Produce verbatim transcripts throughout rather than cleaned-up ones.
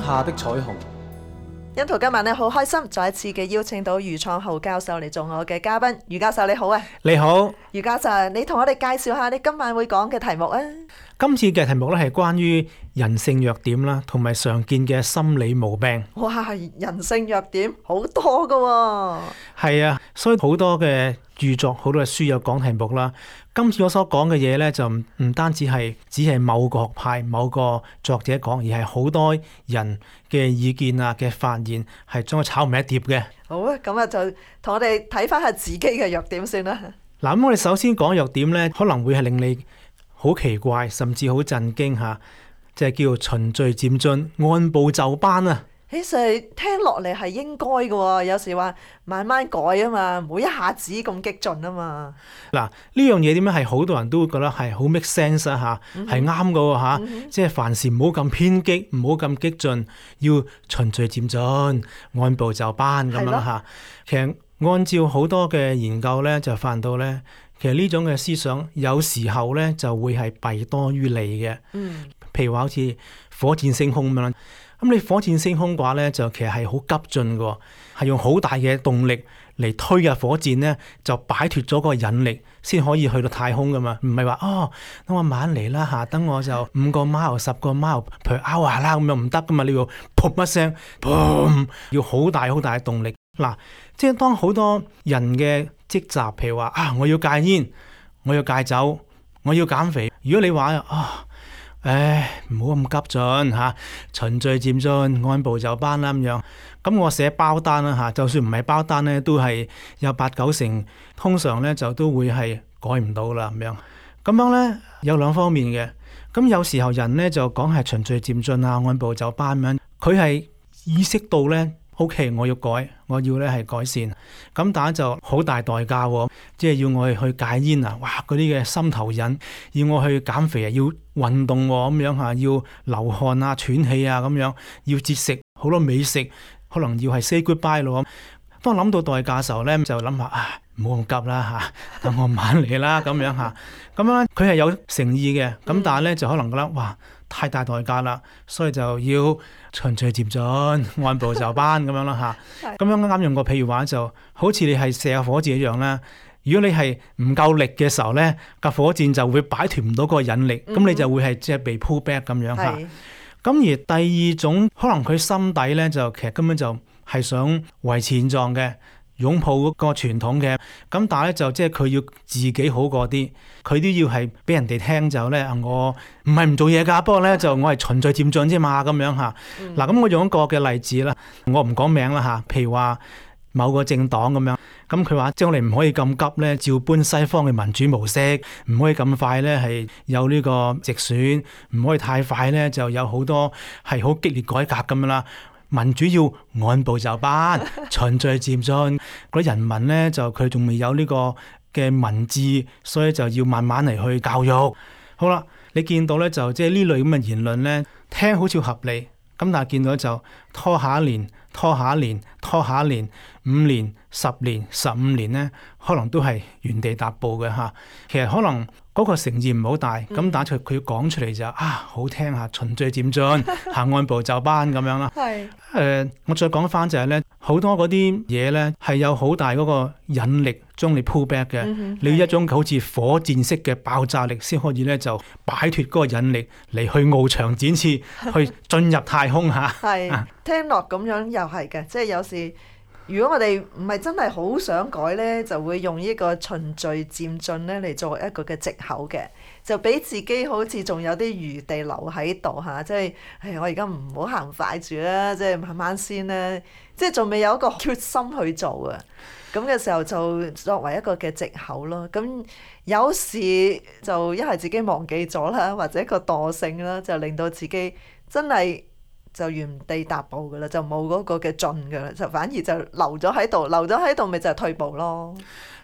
下的彩虹。欣圖今晚咧好開心，再一次嘅邀請到余創浩教授嚟做我嘅嘉賓。余教授你好啊！你好，余教授，你同我哋介紹下你今晚會講嘅題目啊！今次嘅題目咧係關於人性弱點啦，同埋常見嘅心理毛病。哇，人性弱點好多噶喎！係啊，所以好多嘅著作、好多嘅書有講題目啦。今次我所講嘅嘢咧，就唔唔單止係只係某個學派、某個作者講，而係好多人嘅意見啊嘅發現，係將佢炒埋一碟嘅。好啊，咁啊就同我哋睇翻下自己嘅弱點先啦。嗱，咁我哋首先講弱點咧，可能會係令你好奇怪，甚至好震驚嚇，就係叫做循序漸進、按部就班啊！其實聽落嚟係應該嘅喎，有時話慢慢改啊嘛，唔好一下子咁激進啊嘛。嗱，呢樣嘢點樣係好多人都會覺得係好 make sense 啊嚇，係啱嘅喎嚇，嗯、哼即係凡事唔好咁偏激，唔好咁激進，要循序漸進、按部就班咁樣嚇。的其實按照好多嘅研究咧，就發現到咧，其實呢種嘅思想有時候咧就會係弊多於利嘅。嗯，譬如話好似火箭升空咁樣。咁你火箭升空嘅話咧，就其實係好急進嘅，係用好大嘅動力嚟推入火箭咧，就擺脫咗嗰個引力，先可以去到太空噶嘛。唔係話哦，等我慢嚟啦嚇，等我就五個 mile、十個 mile per hour 啦，咁樣唔得噶嘛。你要噗一聲，砰，要好大好大嘅動力。嗱，即係當好多人嘅積習，譬如話啊，我要戒煙，我要戒酒，我要減肥。如果你話啊，唉，唔好咁急進嚇，循序漸進，按部就班啦咁樣。咁我寫包單啦嚇，就算唔係包單咧，都係有八九成，通常咧就都會係改唔到啦咁樣。咁樣咧有兩方面嘅。咁有時候人咧就講係循序漸進啊，按部就班咁樣，佢係意識到咧。O.K. 我要改，我要咧係改善，咁但係就好大代價喎，即係要我去戒煙啊！哇，嗰啲嘅心頭癮，要我去減肥啊，要運動喎咁樣嚇，要流汗啊、喘氣啊咁樣，要節食好多美食，可能要係 say goodbye 咯。當諗到代價嘅時候咧，就諗下啊，唔好咁急啦嚇，等我慢嚟啦咁樣嚇。咁樣佢係有誠意嘅，咁但係咧就可能覺得哇太大代價啦，所以就要循序漸進、按部就班咁樣啦嚇。咁樣啱啱用個譬如話，就好似你係射火箭一樣啦。如果你係唔夠力嘅時候咧，架火箭就會擺脫唔到嗰個引力，咁、嗯、哼你就會係即係被 pull back 咁樣嚇。咁是而第二種可能佢心底咧就其實根本就係想維持現狀嘅。擁抱嗰個傳統嘅，咁但係咧就即係佢要自己好過啲，佢都要係俾人哋聽就咧，我唔係唔做嘢㗎，不過咧就我係循序漸進啫嘛，咁樣嚇。嗱咁、嗯、我用一個嘅例子啦，我唔講名啦嚇，譬如話某個政黨咁樣，咁佢話即係我哋唔可以咁急咧，照搬西方嘅民主模式，唔可以咁快咧係有呢個直選，唔可以太快咧就有好多係好激烈改革咁樣啦。民主要按部就班、循序漸進，嗰啲人民咧就佢仲未有呢個嘅民智，所以就要慢慢嚟去教育。好啦，你見到咧就即係呢類咁嘅言論咧，聽好似合理，咁但係見到就拖下一年、拖下一年、拖下一年、五年、十年、十五年咧，可能都係原地踏步嘅嚇。其實可能嗰個誠意唔好大，咁、嗯、但係佢講出嚟就啊好聽下，循序漸進，行按部就班咁樣啦。係誒、呃，我再講翻就係咧，好多嗰啲嘢咧係有好大嗰個引力將你 pull back 嘅，嗯、哼你要一種好似火箭式嘅爆炸力先可以咧就擺脫嗰個引力嚟去翱翔展翅，去進入太空嚇。係、啊、聽落咁樣又係嘅，即係有時。如果我哋唔係真係好想改呢，就會用呢個循序漸進呢嚟作為一個嘅藉口嘅，就俾自己好似仲有啲餘地留喺度嚇，即係唉我而家唔好行快住啦，即係慢慢先啦，即係仲未有一個決心去做啊，咁嘅時候就作為一個嘅藉口咯。咁有時就一係自己忘記咗啦，或者個惰性啦，就令到自己真係就原地踏步噶啦，就冇嗰個嘅進噶啦，就反而就留咗喺度，留咗喺度咪就係退步咯。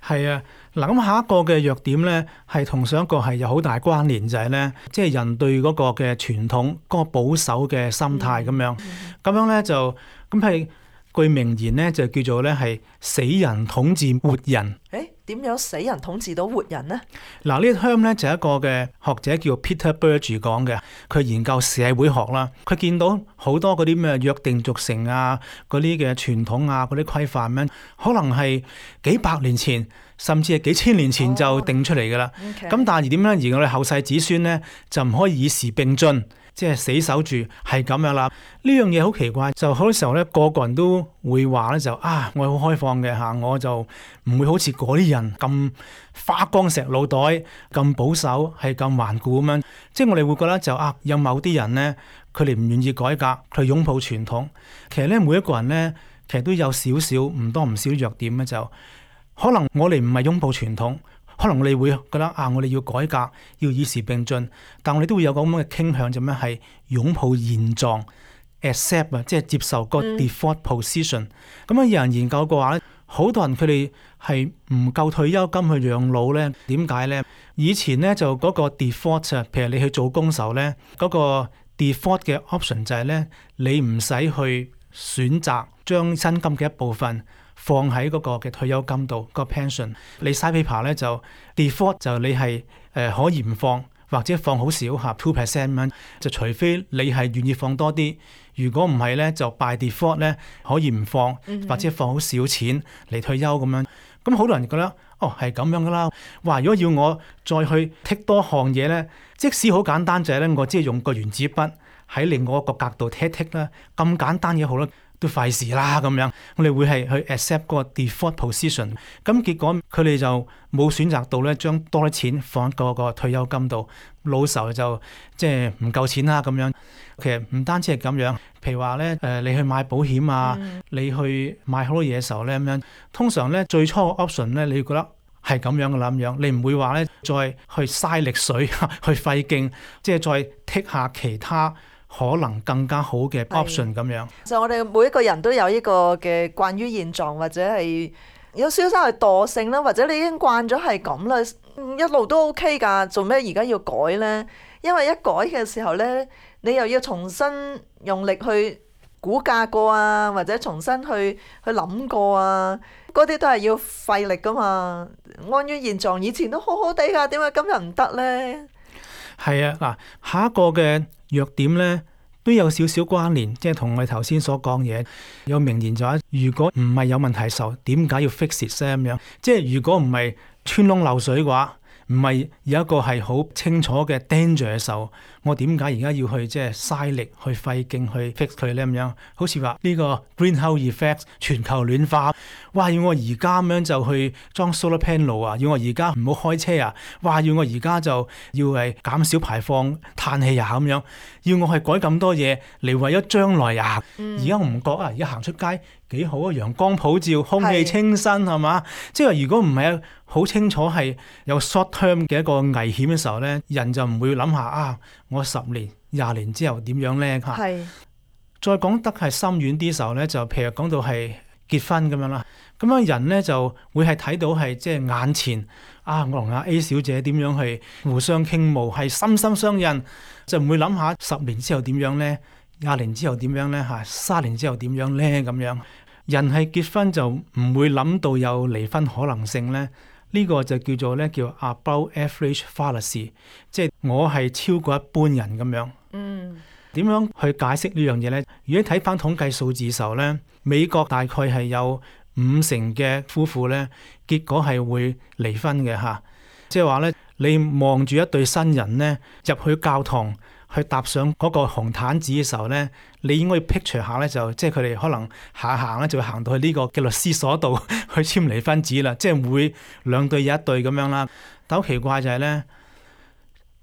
係啊，嗱咁下一個嘅弱點咧，係同上一個係有好大關聯，就係咧，即係人對嗰個嘅傳統、嗰個保守嘅心態咁樣，咁、嗯嗯、樣咧就咁係句名言咧就叫做咧係死人統治活人。誒點樣死人統治到活人呢？嗱，呢個 term 咧就係一個嘅學者叫 Peter Berge 講嘅，佢研究社會學啦，佢見到好多嗰啲咩約定俗成啊，嗰啲嘅傳統啊，嗰啲規範咧，可能係幾百年前，甚至係幾千年前就定出嚟噶啦。咁、oh, okay. 但係點咧？而我哋後世子孫咧就唔可以與時並進。即係死守住係咁樣啦，呢樣嘢好奇怪，就好多時候咧，個個人都會話咧就啊，我好開放嘅嚇，我就唔會好似嗰啲人咁花崗石腦袋，咁保守，係咁頑固咁樣。即係我哋會覺得就啊，有某啲人咧，佢哋唔願意改革，佢擁抱傳統。其實咧，每一個人咧，其實都有少少唔多唔少弱點咧，就可能我哋唔係擁抱傳統。可能我哋會覺得啊，我哋要改革，要與時並進，但我哋都會有個咁嘅傾向，就咩係擁抱現狀 ，accept 啊，即係接受個 default position。咁樣、嗯、有人研究過話咧，好多人佢哋係唔夠退休金去養老咧，點解咧？以前咧就嗰個 default 啊，譬如你去做工時候咧，嗰、嗰個 default 嘅 option 就係咧，你唔使去選擇將薪金嘅一部分放喺嗰個嘅退休金度，個 pension 你 side paper 咧就 default 就你係誒、呃、可以唔放，或者放好少嚇 two percent 咁樣，就除非你係願意放多啲，如果唔係咧就 by default 咧可以唔放，或者放好少錢嚟退休咁樣。咁好多人覺得哦係咁樣噶啦，哇！如果要我再去剔多項嘢咧，即使好簡單就係咧，我只係用個原子筆喺另外一個格度剔剔啦，咁簡單嘢好啦。都費事啦咁樣，我哋會係去 accept 嗰個 default position， 咁結果佢哋就冇選擇到咧，將多啲錢放喺嗰個退休金度，老時候就即係唔夠錢啦咁樣。其實唔單止係咁樣，譬如話咧誒，你去買保險啊，嗯、你去買好多嘢嘅時候咧咁樣，通常咧最初嘅 option 咧，你會覺得係咁樣嘅啦咁樣，你唔會話咧再去嘥力水去費勁，即係再剔下其他可能更加好嘅 option 咁樣。其實我哋每一個人都有呢個嘅慣於現狀，或者係有少少係惰性啦，或者你已經慣咗係咁啦，一路都 OK 㗎，做咩而家要改呢？因為一改嘅時候呢，你又要重新用力去估價過啊，或者重新去去諗過啊，嗰啲都係要費力㗎嘛。安於現狀，以前都好好地㗎，點解今日唔得呢？係啊，嗱，下一個嘅弱點咧都有少少關聯，即係同我哋頭先所講嘢。有名言就話：如果唔係有問題嘅時候，點解要 fix it 咧？咁樣，即係如果唔係穿窿漏水嘅話，唔係有一個係好清楚嘅 danger 嘅時候，我點解而家要去即係嘥力去費勁去 fix 佢咧？咁樣，好似話呢個 greenhouse effect 全球暖化，哇！要我而家咁樣就去裝 solar panel 啊，要我而家唔好開車啊，哇！要我而家就要係減少排放碳氣啊咁樣，要我係改咁多嘢嚟為咗將來啊！而家我唔覺啊，而家行出街幾好啊，陽光普照，空氣清新係嘛？即係話如果唔係好清楚係有 short term 嘅一個危險嘅時候咧，人就唔會諗下啊，我十年、廿年之後點樣咧嚇？係。再講得係深遠啲時候咧，就譬如講到係結婚咁樣啦，咁樣人咧就會係睇到係即係眼前啊，我同阿 A 小姐點樣去互相傾慕，係心心相印，就唔會諗下十年之後點樣咧，廿年之後點樣咧嚇，三年之後點樣咧咁樣。人係結婚就唔會諗到有離婚可能性咧。呢個就叫做咧叫 above average fallacy， 即係我係超過一般人咁樣。嗯，點樣去解釋呢樣嘢咧？如果睇翻統計數字嘅時候咧，美國大概係有五成嘅夫婦咧，結果係會離婚嘅嚇。即係話咧，你望住一對新人咧入去教堂，去踏上嗰個紅毯子嘅時候咧，你應該要 picture 下咧，就即係佢哋可能行行咧就會行到去呢個嘅律師所度去簽離婚紙啦，即係會兩對有一對咁樣啦。但好奇怪就係咧，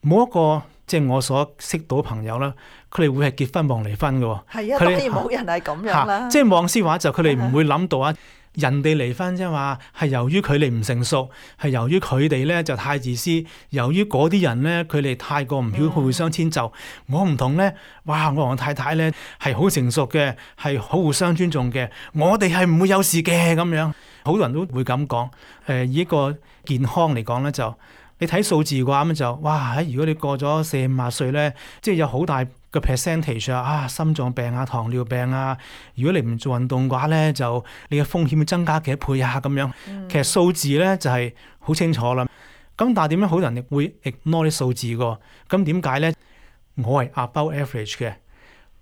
冇一個即係我所識到嘅朋友啦，佢哋會係結婚望離婚嘅喎。係啊，當然冇人係咁樣啦。即係望師話就佢哋唔會諗到啊。人哋離婚啫嘛，係由於佢哋唔成熟，係由於佢哋咧就太自私，由於嗰啲人咧佢哋太過唔曉互相遷就。嗯、我唔同咧，哇！我同我太太咧係好成熟嘅，係好互相尊重嘅，我哋係唔會有事嘅咁樣。好多人都會咁講。誒、呃，以一個健康嚟講咧，就你睇數字嘅話咁就，哇！如果你過咗四五十歲咧，即係有好大個 percentage 啊，啊心臟病啊、糖尿病啊，如果你唔做運動嘅話咧，就你嘅風險會增加幾多倍啊咁樣。嗯、其實數字咧就係、是、好清楚啦。咁但係點樣好多人會 ignore 啲數字㗎？咁點解咧？我係 above average 嘅，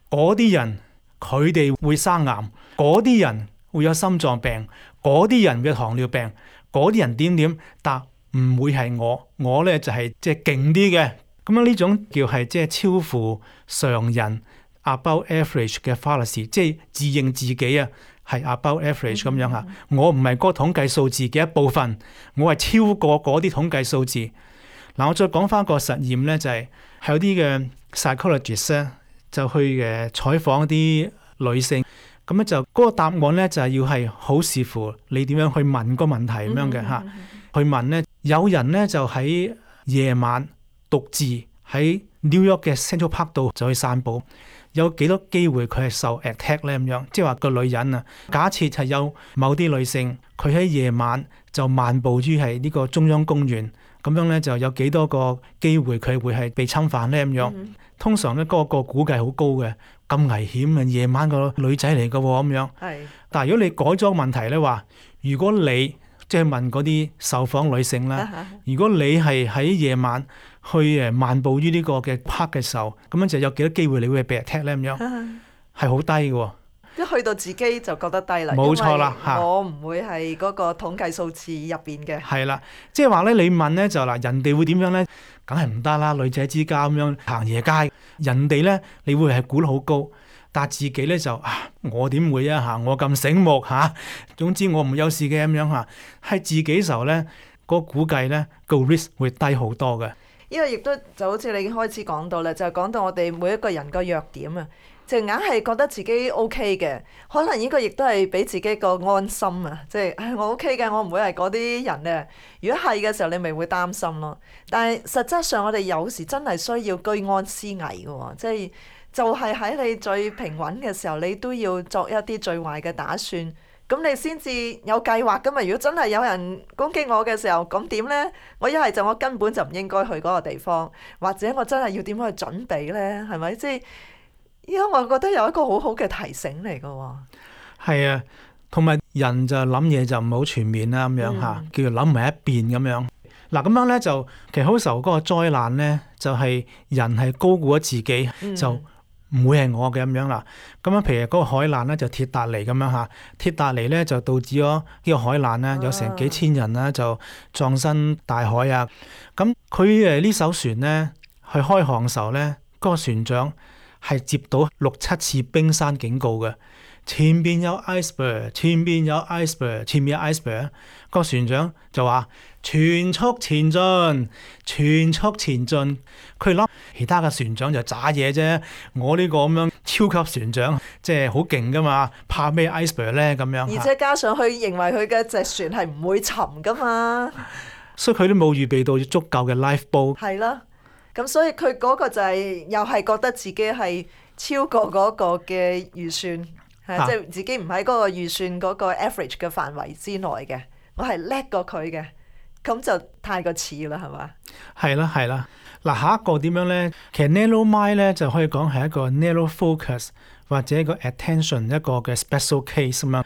嗰啲人佢哋會生癌，嗰啲人會有心臟病，嗰啲人會有糖尿病，嗰啲人點點，但唔會係我，我咧就係即係勁啲嘅。咁樣呢種叫係即係超乎常人 above average 嘅 fallacy，即係自認自己啊係 above average 咁樣嚇。我唔係嗰個統計數字嘅一部分，我係超過嗰啲統計數字。嗱，我再講翻個實驗咧，就係、係、有啲嘅 psychologist 咧就去誒採訪啲女性，咁咧就嗰、嗰個答案咧就係、係、要係好視乎你點樣去問個問題咁樣嘅嚇。去問咧，有人咧就喺夜晚獨自喺 New York 嘅 Central Park 度就去散步，有幾多機會佢係受 attack 咧咁樣？即係話個女人啊，假設係有某啲女性，佢喺夜晚就漫步於係呢個中央公園。咁樣咧就有幾多個機會佢會係被侵犯咧咁樣？嗯、通常咧嗰個估計好高嘅，咁危險啊！夜晚個女仔嚟嘅喎咁樣。係。但係如果你改咗個問題咧話，如果你即係問嗰啲受訪女性啦，啊、如果你係喺夜晚去誒漫步於呢個嘅 park 嘅時候，咁樣就有幾多機會你會被 attack 咧咁樣？係好、啊、低嘅喎。一去到自己就覺得低啦，冇錯啦，因為我唔會係嗰個統計數字入邊嘅。係啦，即係話咧，你問咧就嗱，人哋會點樣咧？梗係唔得啦，女仔之家咁樣行夜街，人哋咧你會係估得好高，但係自己咧就啊，我點會啊嚇？我咁醒目嚇、啊，總之我唔有事嘅咁樣嚇，係自己時候咧，嗰個估計咧個 risk 會低好多嘅。呢個亦都就好似你已經開始講到啦，就係、是、講到我哋每一個人個弱點啊。就硬係覺得自己 O K 嘅，可能呢個亦都係俾自己個安心啊！即係唉，我 O K 嘅，我唔會係嗰啲人咧。如果係嘅時候，你咪會擔心咯。但係實質上，我哋有時真係需要居安思危嘅喎，即係就係喺你最平穩嘅時候，你都要作一啲最壞嘅打算，咁你先至有計劃噶嘛。如果真係有人攻擊我嘅時候，咁點咧？我一係就我根本就唔應該去嗰個地方，或者我真係要點樣去準備咧？係咪即係？依家我覺得有一個好好嘅提醒嚟嘅喎。係啊，同埋人就諗嘢就唔好全面啦，咁樣嚇，叫做諗埋一邊咁樣。嗱咁樣咧就其實好時候嗰個災難咧，就係、是、人係高估咗自己，嗯、就唔會係我嘅咁樣啦。咁樣譬如嗰個海難咧就鐵達尼咁樣嚇，鐵達尼咧就導致咗呢個海難咧，有成幾千人啦就葬身大海啊。咁佢誒呢艘船咧去開航嘅時候咧，嗰、那個船長係接到六七次冰山警告嘅，前邊有 iceberg， 前邊有 iceberg， 前邊有 iceberg。個船長就話全速前進，全速前進。佢諗其他嘅船長就渣嘢啫，我呢個咁樣超級船長即係好勁噶嘛，怕咩 iceberg 咧咁樣？而且加上佢認為佢嘅隻船係唔會沉噶嘛，所以佢都冇預備到足夠嘅 lifeboat。係啦。咁所以佢嗰個就係、是、又係覺得自己係超過嗰個嘅預算，係即係自己唔喺嗰個預算嗰個 average 嘅範圍之內嘅，我係叻過佢嘅，咁就太過似啦，係嘛？係啦，係啦。嗱，下一個點樣咧？其實 narrow mind 咧就可以講係一個 narrow focus 或者一個 attention 一個嘅 special case 咁樣。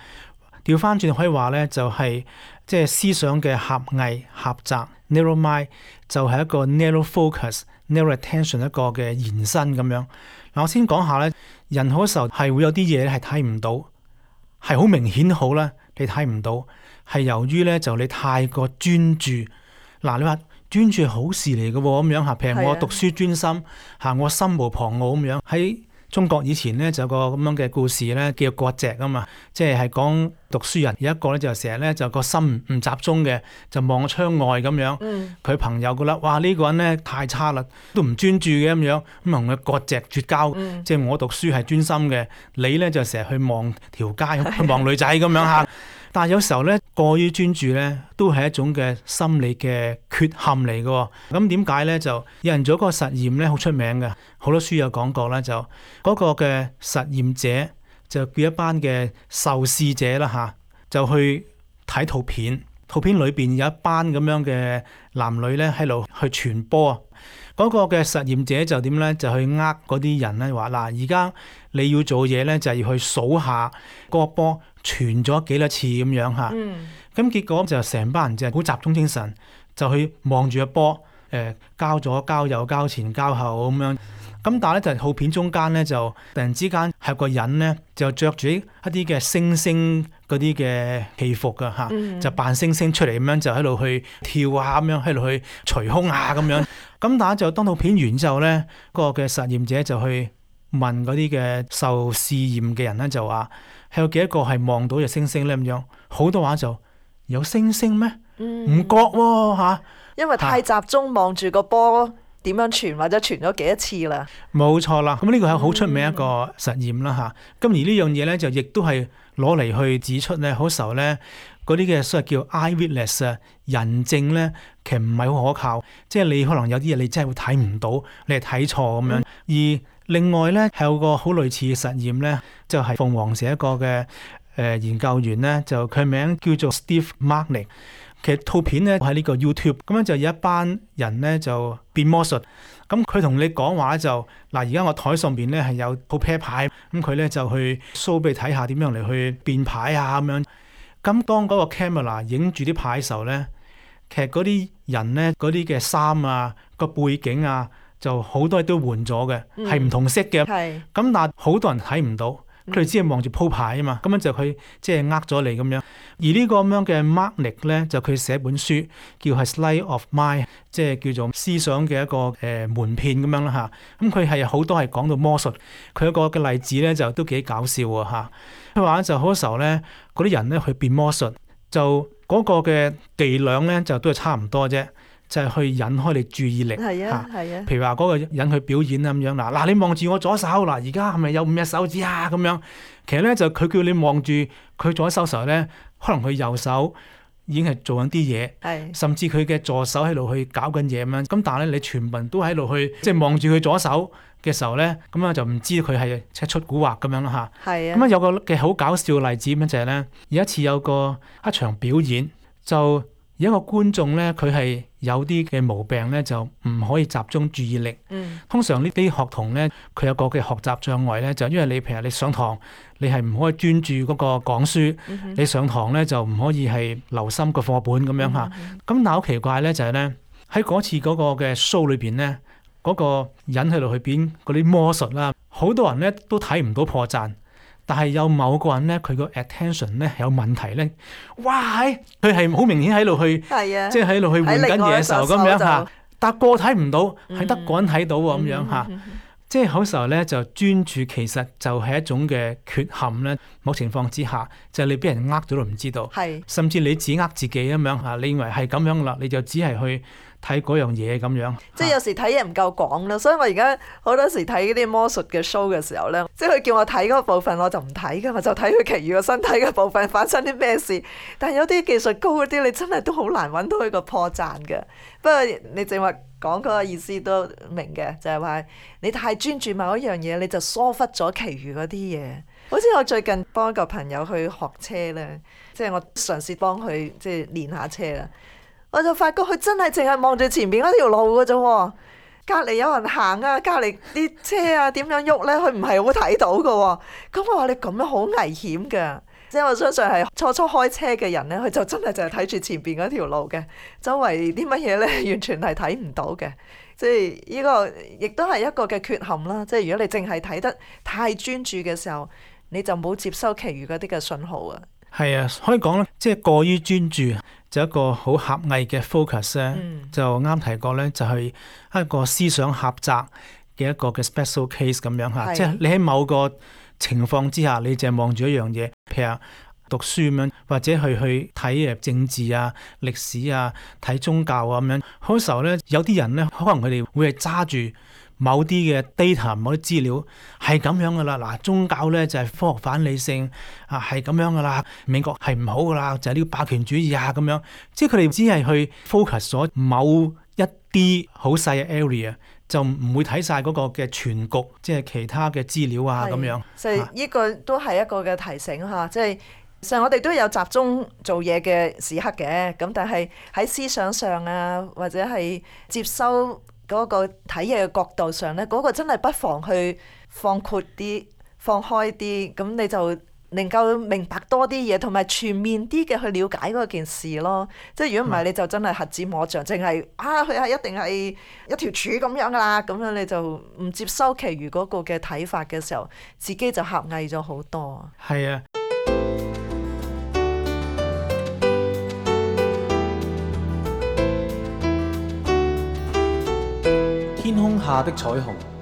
調翻轉可以話咧，就係即係思想嘅狹隘狹窄 narrow mind 就係一個 narrow focus。narrow attention 一個嘅延伸咁樣。嗱，我先講下咧，人好多時候係會有啲嘢係睇唔到，係好明顯好啦，你睇唔到，係由於咧就你太過專注。嗱，你話專注係好事嚟嘅喎，咁樣嚇，譬如我讀書專心嚇，我心無旁騖咁樣。喺中國以前咧就有個咁樣嘅故事咧，叫割席啊嘛，即係係講讀書人有一個咧就成日咧就個心唔集中嘅，就望窗外咁樣。佢、嗯、朋友覺得哇呢、呢個人咧太差啦，都唔專注嘅咁樣，咁同佢割席絕交。嗯、即係我讀書係專心嘅，你咧就成日去望條街，去望女仔咁樣嚇。但係有時候咧過於專注咧，都係一種嘅心理嘅缺陷嚟嘅。咁點解咧？就有人做一個實驗咧，好出名嘅，好多書有講過啦。就嗰個嘅實驗者就叫一班嘅受試者啦嚇，就去睇套片。圖片裏邊有一班咁樣嘅男女咧喺度去傳波。嗰個嘅實驗者就點咧？就去呃嗰啲人咧，話嗱，而家你要做嘢咧，就係要去數下嗰個波傳咗幾多次咁樣嚇。咁、嗯、結果就成班人就好集中精神，就去望住個波，誒、呃、交咗交右交前交後咁樣。咁但係咧就係套片中間咧就突然之間係個人咧就着住一啲嘅星星嗰啲嘅戲服噶嚇，嗯、就扮星星出嚟咁樣就喺度去跳啊咁樣，喺度去捶胸啊咁樣。咁但係就當套片完之後咧，嗰個嘅實驗者就去問嗰啲嘅受試驗嘅人咧，就話係有幾多個係望到隻星星咧咁樣？好多話就有星星咩？唔覺喎嚇，因為太集中望住個波。點樣傳或者傳咗幾多次啦？冇錯啦，咁呢個係好出名一個實驗啦嚇。咁、嗯、而呢樣嘢咧就亦都係攞嚟去指出咧，好時候咧嗰啲嘅所謂叫 eyewitness 啊人證咧，其實唔係好可靠。即係你可能有啲嘢你真係會睇唔到，你係睇錯咁樣。嗯、而另外咧係有個好類似嘅實驗咧，就係、是、鳳凰社一個嘅誒、呃、研究員咧，就佢名叫做 Steve Marnick。其實套片咧喺呢個 YouTube，咁樣就有一班人咧就變魔術，咁佢同你講話就嗱，而家我台上邊咧係有套啤牌，咁佢咧就去 show 俾你睇下點樣嚟去變牌啊咁樣。咁當嗰個 camera 影住啲牌嘅時候咧，其實嗰啲人咧嗰啲嘅衫啊個背景啊就好多都換咗嘅，係唔、嗯、同色嘅。咁是但係好多人睇唔到。佢哋只係望住鋪牌啊嘛，咁樣就佢即係呃咗你咁樣。而呢個咁樣嘅 Marnick 咧，就佢寫本書叫係 Sleight of Mind，即係叫做思想嘅一個誒、呃、門騙咁樣啦嚇。咁佢係好多係講到魔術，佢一個嘅例子咧就都幾搞笑喎嚇。佢話就好多時候咧，嗰啲人咧去變魔術，就嗰個嘅伎倆咧就都係差唔多啫。就係去引開你注意力，係啊，係啊。譬如話嗰個人去表演咁樣嗱，嗱你望住我左手嗱，而家係咪有五隻手指啊？咁樣其實咧就佢叫你望住佢左手時候咧，可能佢右手已經係做緊啲嘢，係甚至佢嘅助手喺度去搞緊嘢咁樣。咁但係咧，你全部人都喺度去即係望住佢左手嘅時候咧，咁樣就唔知佢係即係出蠱惑咁樣啦嚇。係啊。咁啊有個嘅好搞笑嘅例子咁就係咧，有一次有個一場表演就。有一個觀眾咧，佢係有啲嘅毛病咧，就唔可以集中注意力。嗯、通常呢啲學童咧，佢有個嘅學習障礙咧，就因為你譬如你上堂，你係唔可以專注嗰個講書，嗯、哼你上堂咧就唔可以係留心個課本咁樣嚇。咁、嗯、哼但係好奇怪咧，就係咧喺嗰次嗰個嘅 show 裏邊咧，嗰、嗰個人喺度去變嗰啲魔術啦，好多人咧都睇唔到破綻。但係有某個人咧，佢個 attention 咧有問題咧，哇！佢係好明顯喺度去，啊、即係喺度去換緊嘢嘅時候咁樣嚇，但個睇唔到，係得個人睇到喎咁樣嚇。即係好時候咧，就專注其實就係一種嘅缺陷咧。某情況之下，就係、你俾人呃咗都唔知道，是甚至你自己呃自己咁樣嚇。你認為係咁樣啦，你就只係去睇嗰樣嘢咁樣。即係有時睇嘢唔夠廣啦，所以我而家好多時睇嗰啲魔術嘅 show 嘅時候咧，即係佢叫我睇嗰部分，我就唔睇㗎嘛，就睇佢其餘個身體嘅部分發生啲咩事。但係有啲技術高嗰啲，你真係都好難揾到一個破綻嘅。不過你正話講嗰個意思都明嘅，就係話你太專注某一樣嘢，你就疏忽咗其餘嗰啲嘢。好似我最近幫一個朋友去學車咧，即係我嘗試幫佢即係練下車啦，我就發覺佢真係淨係望住前邊嗰條路㗎啫，隔離有人行啊，隔離啲車啊點樣喐咧，佢唔係好睇到㗎。咁我話你咁樣好危險㗎。即係我相信係初初開車嘅人咧，佢就真係就係睇住前邊嗰條路嘅，周圍啲乜嘢咧完全係睇唔到嘅。即係呢個亦都係一個嘅缺陷啦。即係如果你淨係睇得太專注嘅時候，你就冇接收其餘嗰啲嘅信號啊。係啊，可以講咧，即係過於專注就一個好狹隘嘅 focus 咧，嗯、就啱提過咧，就係一個思想狹窄嘅一個嘅 special case 咁樣嚇。是即係你喺某個情況之下，你淨係望住一樣嘢，譬如讀書咁樣，或者去去睇誒政治啊、歷史啊、睇宗教啊咁樣。好多時候咧，有啲人咧，可能佢哋會係揸住某啲嘅 data、某啲資料，係咁樣噶啦。嗱，宗教咧就係科學反理性啊，係咁樣噶啦。美國係唔好噶啦，就係呢個霸權主義啊咁樣。即係佢哋只係去 focus 咗某一啲好細嘅 area。就唔會睇晒嗰個嘅全局，即係其他嘅資料啊咁樣。所以呢個都係一個嘅提醒嚇，即係其實我哋都有集中做嘢嘅時刻嘅，咁但係喺思想上啊，或者係接收嗰個睇嘢嘅角度上咧，嗰、嗰個真係不妨去放闊啲、放開啲，咁你就能夠明白多啲嘢，同埋全面啲嘅去了解嗰件事咯。即係如果唔係，你就真係瞎子摸象，淨係啊佢係一定係一條柱咁樣噶啦，咁樣你就唔接收其餘嗰個嘅睇法嘅時候，自己就狹隘咗好多。係啊。天空下的彩虹。